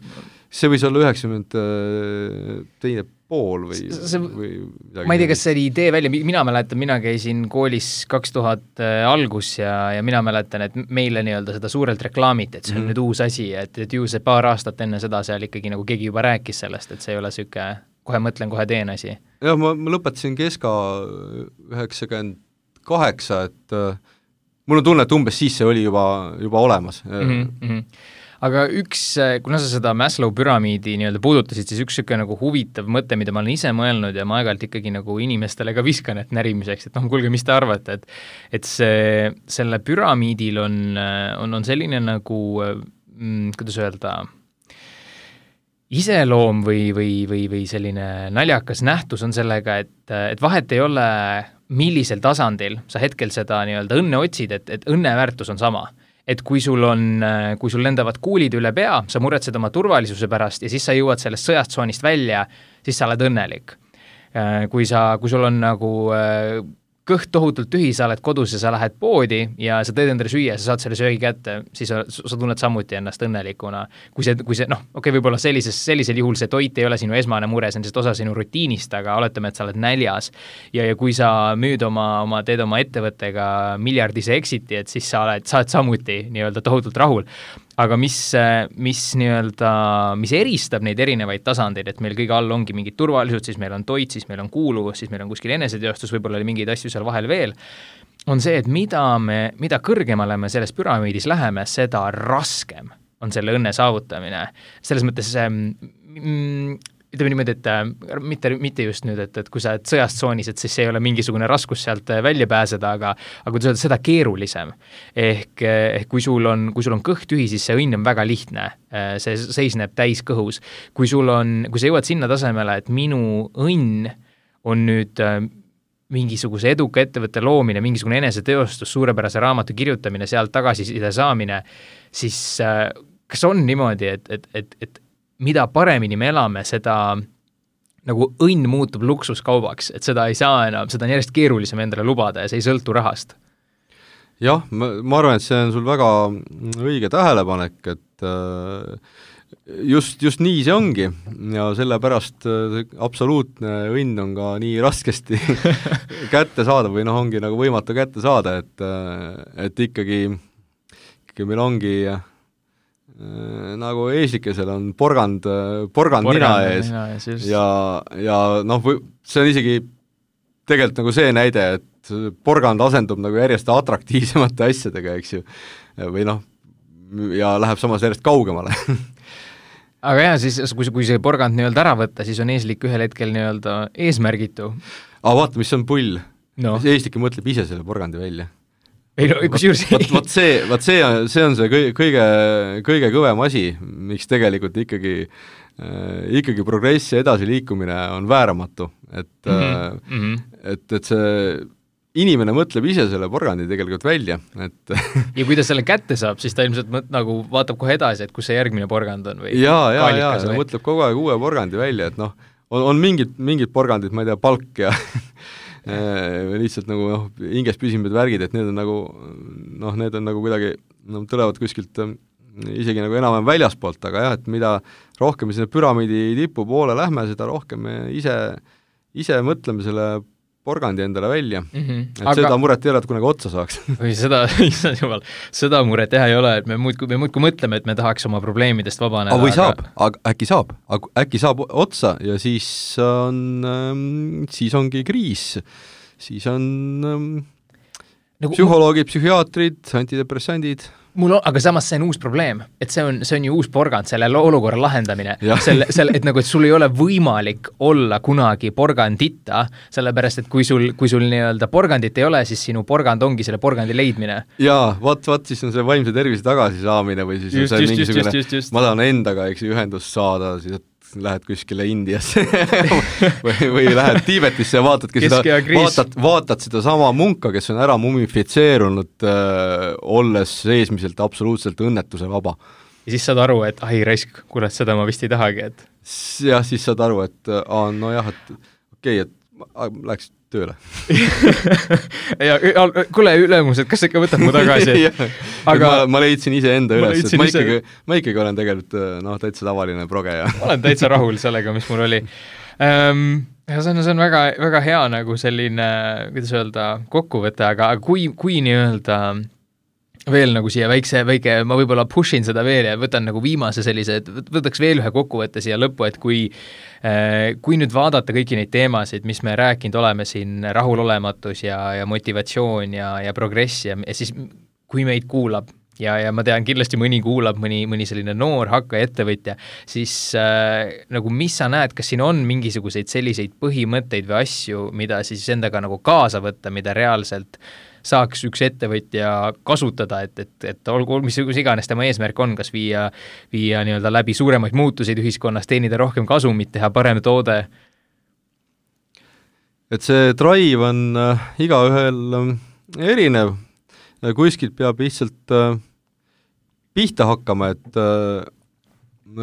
See võis olla 92 pool või midagi. Ma ei tea, kas see oli idee välja, mina mäletan, mina käisin koolis 2000 algus ja mina mäletan, et meile nii-öelda seda suurelt reklaamiti, et see on nüüd uus asi, et ju see paar aastat enne seda seal ikkagi nagu keegi juba rääkis sellest, et see ei ole süke, kohe mõtlen, kohe teen asi. Jah, ma lõpetasin keska 98, et mul on tunne, et umbes siis see oli juba olemas. Aga kuna sa seda Maslow püramiidi nii-öelda puudutasid, siis üks süke nagu huvitav mõte, mida ma olen ise mõelnud ja ma aeg-ajalt ikkagi nagu inimestele ka viskan, et närimiseks, et kuulge, mis te arvate, et selle püramiidil on selline nagu, kuidas öelda, iseloom või selline naljakas nähtus on sellega, et vahet ei ole, millisel tasandil sa hetkel seda nii-öelda õnne otsid, et õnneväärtus on sama. Et kui sul lendavad kuulid üle pea, sa muretsed oma turvalisuse pärast ja siis sa jõuad sellest sõjastsoonist välja, siis sa oled õnnelik. Kui sul on nagu kõht tohutult tühi, sa oled kodus ja sa lähed poodi ja sa teed endale süüa ja sa saad selle söögi kätte, siis sa tunned samuti ennast õnnelikuna. Kui see võib-olla sellisel juhul see toit ei ole sinu esmane mure, see on lihtsalt osa sinu rutiinist, aga oletame, et sa oled näljas ja kui sa teed oma ettevõttega miljardise exiti, et siis sa oled samuti nii-öelda tohutult rahul. Aga mis eristab neid erinevaid tasandeid, et meil kõige all ongi mingid turvalisud, siis meil on toit, siis meil on kuuluvus, siis meil on kuskil eneseteostus, võib-olla oli mingeid asju seal vahel veel, on see, et mida kõrgemale me selles püramiidis läheme, seda raskem on selle õnne saavutamine. Selles mõttes ütleme niimoodi, et mitte just nüüd, et kui sa oled sõjast tsoonis, et siis ei ole mingisugune raskus sealt välja pääseda, aga kui sa oled seda keerulisem. Ehk kui sul on kõht tühi, siis see õnn on väga lihtne. See seisneb täis kõhus. Kui sa jõuad sinna tasemele, et minu õnn on nüüd mingisuguse eduka ettevõtte loomine, mingisugune eneseteostus, suurepärase raamatu kirjutamine, sealt tagasiside saamine, siis kas on niimoodi, et mida paremini me elame, seda nagu õnn muutub luksuskaubaks, et seda ei saa enam, seda on järjest keerulisem endale lubada ja see ei sõltu rahast? Jah, ma arvan, et see on sul väga õige tähelepanek, et just nii see ongi ja sellepärast absoluutne õnn on ka nii raskesti kätte saada või ongi nagu võimatu kätte saada, et ikkagi meil ongi nagu eeslikesel on porgand nina ees ja see on isegi tegelikult nagu see näide, et porgand asendub nagu järjest atraktiivsemate asjadega, eks ju, või ja läheb samas järjest kaugemale aga jah, siis kui see porgand nii-öelda ära võtta, siis on eeslik ühel hetkel nii-öelda eesmärgitu. Aga vaata, mis on pull. No. Eeslik mõtleb ise selle porgandi välja. Ei no, kusjuures see on see kõige kõvem asi, miks tegelikult ikkagi progress ja edasiliikumine on vääramatu, et see inimene mõtleb ise selle porgandi tegelikult välja, et ja kui ta selle kätte saab, siis ta ilmselt nagu vaatab kohe edasi, et kus see järgmine porgand on või ja ta mõtleb kogu aeg uue porgandi välja, et on mingid porgandid, ma ei tea, palk ja lihtsalt nagu hinges püsimed värgid, et need on nagu kuidagi tulevad kuskilt isegi nagu enam väljaspoolt, aga jah, et mida rohkem me sinna püramiidi tipu poole lähme, seda rohkem me ise mõtleme selle porgandi endale välja. Et seda muret ei ole, et kunagi otsa saaks. Või seda muret teha ei ole, et me muudkui mõtleme, et me tahaks oma probleemidest vabaneda. Või saab, äkki saab otsa ja siis ongi kriis. Siis on psühholoogid, psühhiaatrid, antidepressandid. Aga samas see on uus probleem, et see on ju uus porgand, selle olukorra lahendamine, et nagu, et sul ei ole võimalik olla kunagi porgandita, sellepärast, et kui sul nii-öelda porgandit ei ole, siis sinu porgand ongi selle porgandi leidmine. Jaa, vaat siis on see vaimse tervise tagasisaamine või siis on see mingisugune, ma tahan endaga ühendust saada, siis lähed kuskile Indiasse või lähed Tiibetisse ja vaatad seda sama munka, kes on ära mumifitseerunud, olles seesmiselt absoluutselt õnnetuse vaba. Ja siis saad aru, et raisk, kurat, seda ma vist ei tahagi, et jah, siis saad aru, et et läks tööle. ja kuule, ülemus, et kas sa ikka võtad mu tagasi? Aga ma leidsin ise enda üles, et ma ikkagi olen tegelikult täitsa tavaline progeja. Ma olen täitsa rahul sellega, mis mul oli. Ja see on väga, väga hea nagu selline, kuidas öelda, kokkuvõte, aga kui nii-öelda veel nagu siia väike, ma võib-olla pushin seda veel ja võtan nagu viimase sellise, et võtaks veel ühe kokkuvõtte siia lõppu, et kui nüüd vaadata kõiki neid teemasid, mis me rääkinud oleme siin, rahulolematus ja motivatsioon ja progress ja siis kui meid kuulab ja ma tean, kindlasti mõni kuulab, mõni selline noor hakkaja ettevõtja, siis nagu mis sa näed, kas siin on mingisuguseid selliseid põhimõtteid või asju, mida siis endaga nagu kaasa võtta, mida reaalselt saaks üks ettevõtja kasutada, et olgu, mis iganes tema eesmärk on, kas viia nii-öelda läbi suuremaid muutuseid ühiskonnas, teenida rohkem kasumit, teha parem toode? Et see drive on igaühel erinev, kuskilt peab lihtsalt pihta hakkama, et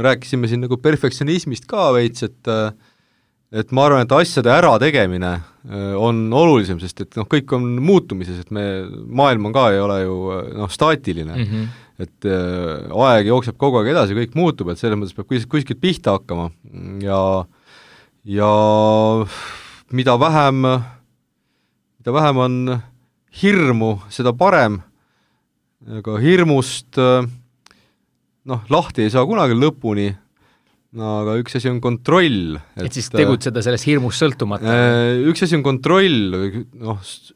rääkisime siin nagu perfektsionismist ka veits, et ma arvan, et asjade ärategemine on olulisem, sest et kõik on muutumises, et maailm on ka ei ole ju staatiline, et aeg jookseb kogu aeg edasi, kõik muutub, et selles mõttes peab kuskilt pihta hakkama ja mida vähem on hirmu, seda parem, aga hirmust lahti ei saa kunagi lõpuni, no aga üks asi on kontroll. Et siis tegutseda sellest hirmust sõltumata? Üks asi on kontroll,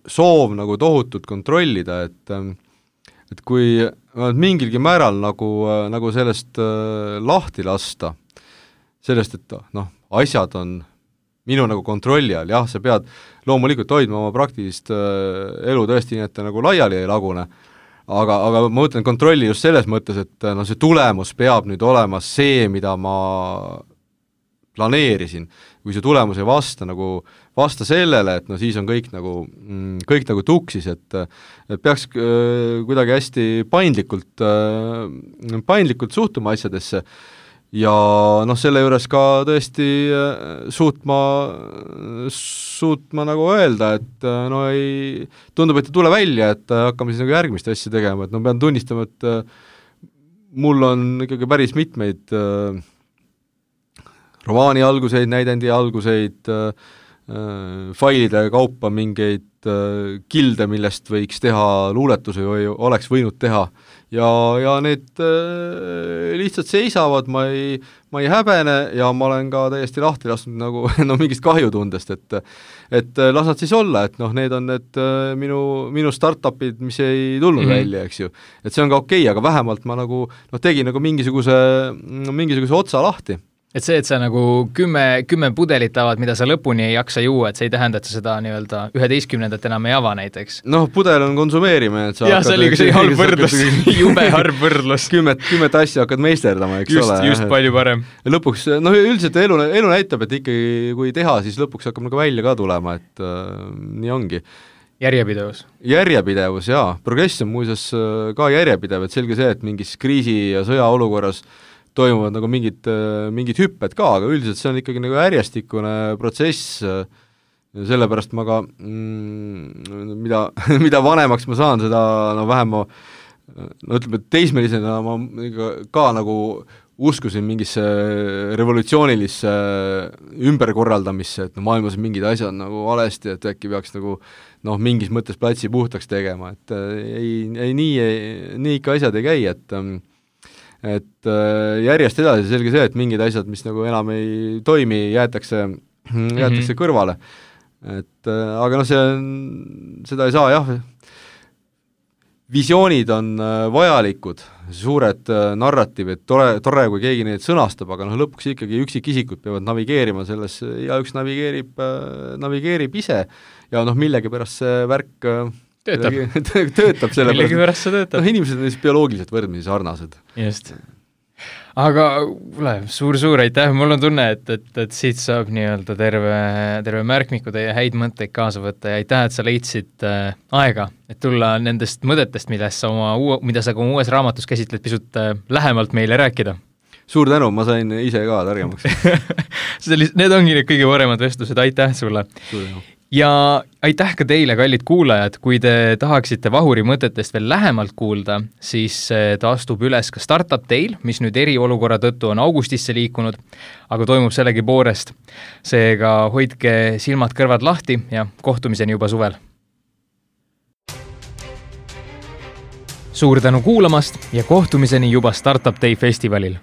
soov nagu tohutult kontrollida, et kui mingilgi määral nagu sellest lahti lasta, sellest, et asjad on minu nagu kontrolli all, jah, sa pead loomulikult hoidma oma praktilist elu tõesti nii, et ta nagu laiali ei lagune, aga ma mõtlen kontrolli just selles mõttes, et see tulemus peab nüüd olema see, mida ma planeerisin. Kui see tulemus ei vasta sellele, et siis on kõik nagu tuksis, et peaks kuidagi hästi paindlikult suhtuma asjadesse ja selle juures ka tõesti suutma nagu öelda, et tundub, et ei tule välja, et hakkame siis nagu järgmist asja tegema, et pean tunnistama, et mul on ikkagi päris mitmeid romaani alguseid, näidendi alguseid, failide kaupa mingeid kilde, millest võiks teha luuletusi või oleks võinud teha ja need lihtsalt seisavad, ma ei häbene ja ma olen ka täiesti lahti lasknud nagu mingist kahjutundest, et las nad siis olla, et need on need minu startupid, mis ei tulnud välja, eks ju. Et see on ka okei, aga vähemalt ma nagu tegin nagu mingisuguse otsa lahti. Et see, et sa nagu 10 pudelit avad, mida sa lõpuni ei jaksa juua, et see ei tähenda, et sa seda 11. enam ei ava näiteks. Pudel on konsumeerimine, et sa jah, see oli ka see halb võrdlus, jube harv võrdlus. 10 asja hakkad meisterdama, eks ole. Just palju parem. Ja lõpuks, üldiselt elu näitab, et ikkagi kui teha, siis lõpuks hakkab nagu välja ka tulema, et nii ongi. Järjepidevus, jaa. Progress on muuseas ka järjepidev, et selge see, et mingis kriisi ja sõjaolukorras toimuvad nagu mingid hüpped ka, aga üldiselt see on ikkagi nagu järjestikune protsess, sellepärast ma ka, mida vanemaks ma saan, seda vähem ma, ütleme, teismelisena ma ka nagu uskusin mingisse revolutsioonilisse ümberkorraldamisse, et maailmas on mingid asjad nagu valesti, et äkki peaks nagu mingis mõttes platsi puhtaks tegema, et nii ikka asjad ei käi, et järjest edasi selge see, et mingid asjad, mis nagu enam ei toimi, jäetakse kõrvale. Et aga seda ei saa, jah. Visioonid on vajalikud, suured narratiivid, tore, kui keegi neid sõnastab, aga lõpuks ikkagi üksikisikud peavad navigeerima selles ja üks navigeerib ise ja millegi pärast see värk töötab selle pärast. Inimesed on bioloogiliselt võrdmisi sarnased. Just. Aga suur aitäh, mul on tunne, et siit saab nii-öelda terve märkmiku teie häid mõtteid kaasa võtta ja aitäh, et sa leidsid aega, et tulla nendest mõtetest, mida sa ka uues raamatus käsitled pisut lähemalt meile rääkida. Suur tänu, ma sain ise ka targemaks. Need ongi need kõige paremad vestlused, aitäh sulle. Suur tänu. Ja aitäh ka teile, kallid kuulajad, kui te tahaksite Vahuri mõtetest veel lähemalt kuulda, siis ta astub üles ka Startup Dail, mis nüüd eriolukorra tõttu on augustisse liikunud, aga toimub sellegi poolest. Seega hoidke silmad-kõrvad lahti ja kohtumiseni juba suvel. Suur tänu kuulamast ja kohtumiseni juba Startup Day festivalil.